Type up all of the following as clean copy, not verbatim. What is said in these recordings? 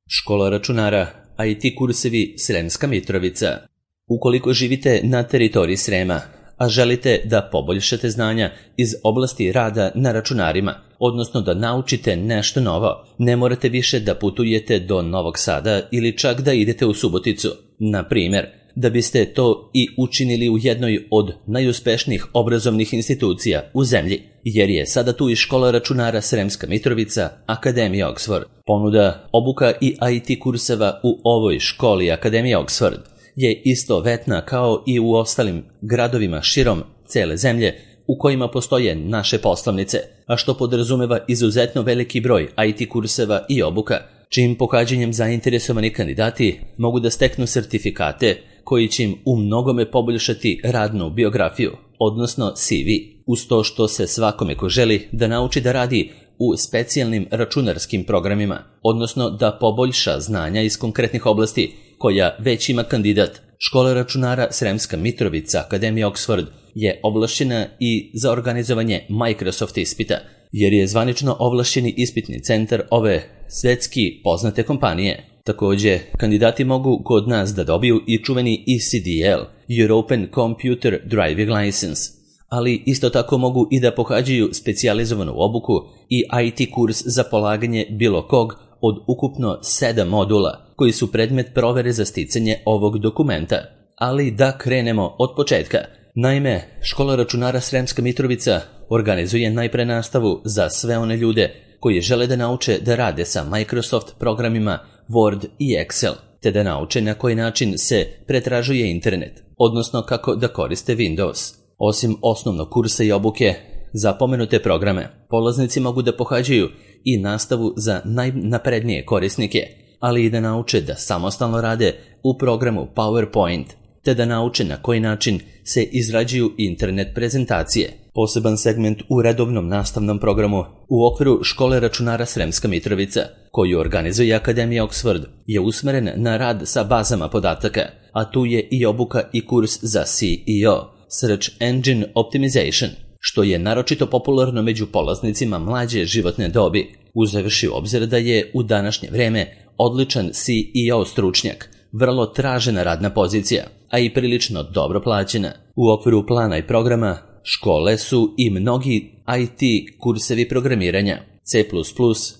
Škola računara, IT kursevi Sremska Mitrovica. Ukoliko živite na teritoriji Srema, a želite da poboljšate znanja iz oblasti rada na računarima, odnosno da naučite nešto novo, ne morate više da putujete do Novog Sada ili čak da idete u Suboticu. Na primjer, da biste to i učinili u jednoj od najuspešnijih obrazovnih institucija u zemlji, jer je sada tu i škola računara Sremska Mitrovica, Akademija Oxford. Ponuda, obuka i IT kurseva u ovoj školi Akademija Oxford je istovetna kao i u ostalim gradovima širom cele zemlje u kojima postoje naše poslovnice, a što podrazumeva izuzetno veliki broj IT kurseva i obuka, čijim pohađanjem zainteresovani kandidati mogu da steknu sertifikate koji će im u mnogome poboljšati radnu biografiju, odnosno CV, uz to što se svakome ko želi da nauči da radi u specijalnim računarskim programima, odnosno da poboljša znanja iz konkretnih oblasti koja već ima kandidat. Škola računara Sremska Mitrovica, Akademija Oxford, je ovlašćena i za organizovanje Microsoft ispita, jer je zvanično ovlašćeni ispitni centar ove svetski poznate kompanije. Također, kandidati mogu kod nas da dobiju i čuveni ECDL, European Computer Driving License, ali isto tako mogu i da pohađaju specijalizovanu obuku i IT kurs za polaganje bilo kog od ukupno 7 modula, koji su predmet provere za sticanje ovog dokumenta. Ali da krenemo od početka. Naime, škola računara Sremska Mitrovica organizuje najpre nastavu za sve one ljude koji žele da nauče da rade sa Microsoft programima Word i Excel, te da nauče na koji način se pretražuje internet, odnosno kako da koriste Windows. Osim osnovnog kursa i obuke za pomenute programe, polaznici mogu da pohađaju i nastavu za najnaprednije korisnike, ali i da nauče da samostalno rade u programu PowerPoint, te da nauče na koji način se izrađuju internet prezentacije. Poseban segment u redovnom nastavnom programu u okviru škole računara Sremska Mitrovica, koju organizuje Akademija Oxford, je usmeren na rad sa bazama podataka, a tu je i obuka i kurs za SEO, Search Engine Optimization, što je naročito popularno među polaznicima mlađe životne dobi, uzevši u obzir da je u današnje vreme odličan SEO stručnjak vrlo tražena radna pozicija, a i prilično dobro plaćena. U okviru plana i programa škole su i mnogi IT kursevi programiranja, C++,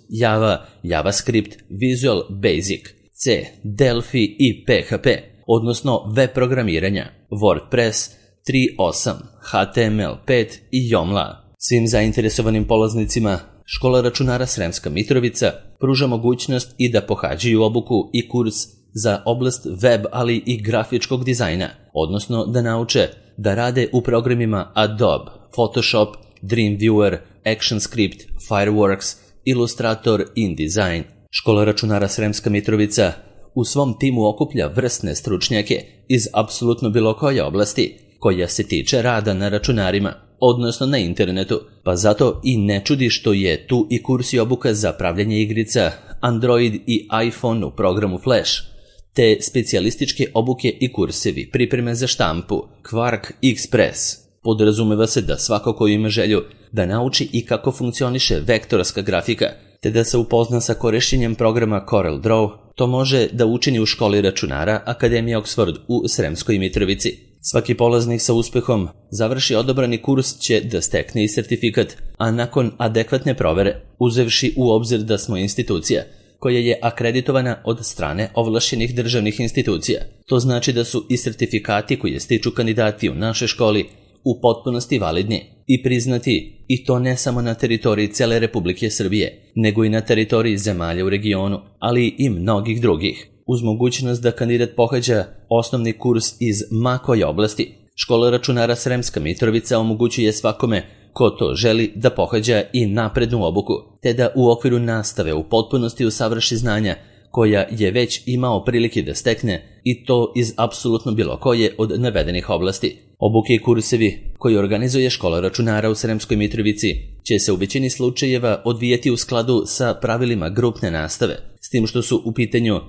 Java, JavaScript, Visual Basic, C, Delphi i PHP, odnosno web programiranja, WordPress 3.8, HTML5 i Joomla. Svim zainteresovanim polaznicima škola računara Sremska Mitrovica pruža mogućnost i da pohađaju obuku i kurs za oblast web, ali i grafičkog dizajna, odnosno da nauče da rade u programima Adobe, Photoshop, Dreamweaver, ActionScript, Fireworks, Illustrator, InDesign. Škola računara Sremska Mitrovica u svom timu okuplja vrsne stručnjake iz apsolutno bilo koje oblasti koja se tiče rada na računarima, odnosno na internetu, pa zato i ne čudi što je tu i kurs i obuka za pravljanje igrica Android i iPhone u programu Flash, te specijalističke obuke i kursevi pripreme za štampu Quark Express. Podrazumeva se da svako ko ima želju da nauči i kako funkcioniše vektorska grafika, te da se upozna sa korišćenjem programa CorelDRAW, to može da učini u školi računara Akademija Oxford u Sremskoj Mitrovici. Svaki polaznik sa uspehom završi odabrani kurs će da stekne i sertifikat, a nakon adekvatne provere, uzevši u obzir da smo institucija koja je akreditovana od strane ovlašćenih državnih institucija. To znači da su i sertifikati koje stiču kandidati u našoj školi u potpunosti validni i priznati, i to ne samo na teritoriji cele Republike Srbije, nego i na teritoriji zemalja u regionu, ali i mnogih drugih. Uz mogućnost da kandidat pohađa osnovni kurs iz ma koje oblasti, škola računara Sremska Mitrovica omogućuje svakome ko to želi da pohađa i naprednu obuku, te da u okviru nastave u potpunosti usavrši znanja koja je već imao prilike da stekne, i to iz apsolutno bilo koje od navedenih oblasti. Obuke i kursevi koji organizuje škola računara u Sremskoj Mitrovici će se u većini slučajeva odvijati u skladu sa pravilima grupne nastave, s tim što su u pitanju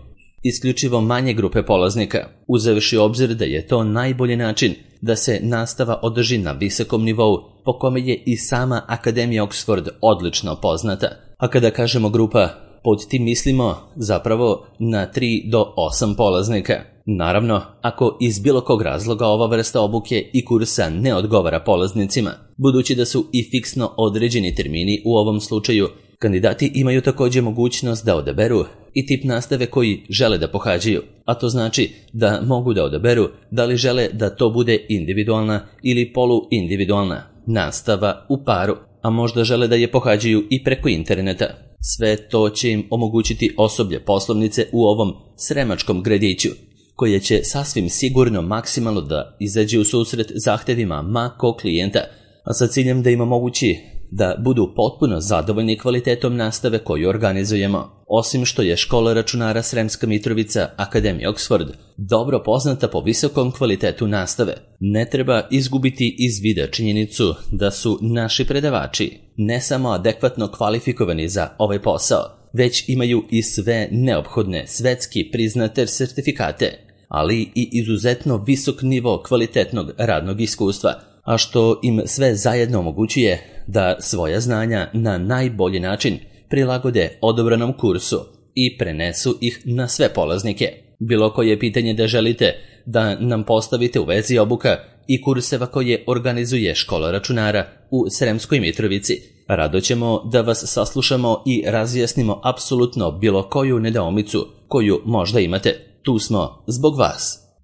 isključivo manje grupe polaznika, uzevši obzir da je to najbolji način da se nastava održi na visokom nivou, po kome je i sama Akademija Oxford odlično poznata. A kada kažemo grupa, Pod tim mislimo zapravo na 3 do 8 polaznika. Naravno, ako iz bilo kog razloga ova vrsta obuke i kursa ne odgovara polaznicima, budući da su i fiksno određeni termini u ovom slučaju, kandidati imaju također mogućnost da odaberu i tip nastave koji žele da pohađaju, a to znači da mogu da odaberu da li žele da to bude individualna ili poluindividualna nastava u paru, a možda žele da je pohađaju i preko interneta. Sve to će im omogućiti osoblje poslovnice u ovom sremačkom gradiću, koje će sasvim sigurno maksimalno da izađe u susret zahtevima ma kog klijenta, a sa ciljem da im omogući da budu potpuno zadovoljni kvalitetom nastave koju organizujemo. Osim što je škola računara Sremska Mitrovica Akademija Oxford dobro poznata po visokom kvalitetu nastave, ne treba izgubiti iz vida činjenicu da su naši predavači ne samo adekvatno kvalifikovani za ovaj posao, već imaju i sve neophodne svetski priznate sertifikate, ali i izuzetno visok nivo kvalitetnog radnog iskustva, a što im sve zajedno omogućuje da svoja znanja na najbolji način prilagode odobranom kursu i prenesu ih na sve polaznike. Bilo koje pitanje da želite da nam postavite u vezi obuka i kurseva koje organizuje škola računara u Sremskoj Mitrovici, rado ćemo da vas saslušamo i razjasnimo apsolutno bilo koju nedoumicu koju možda imate. Tu smo zbog vas.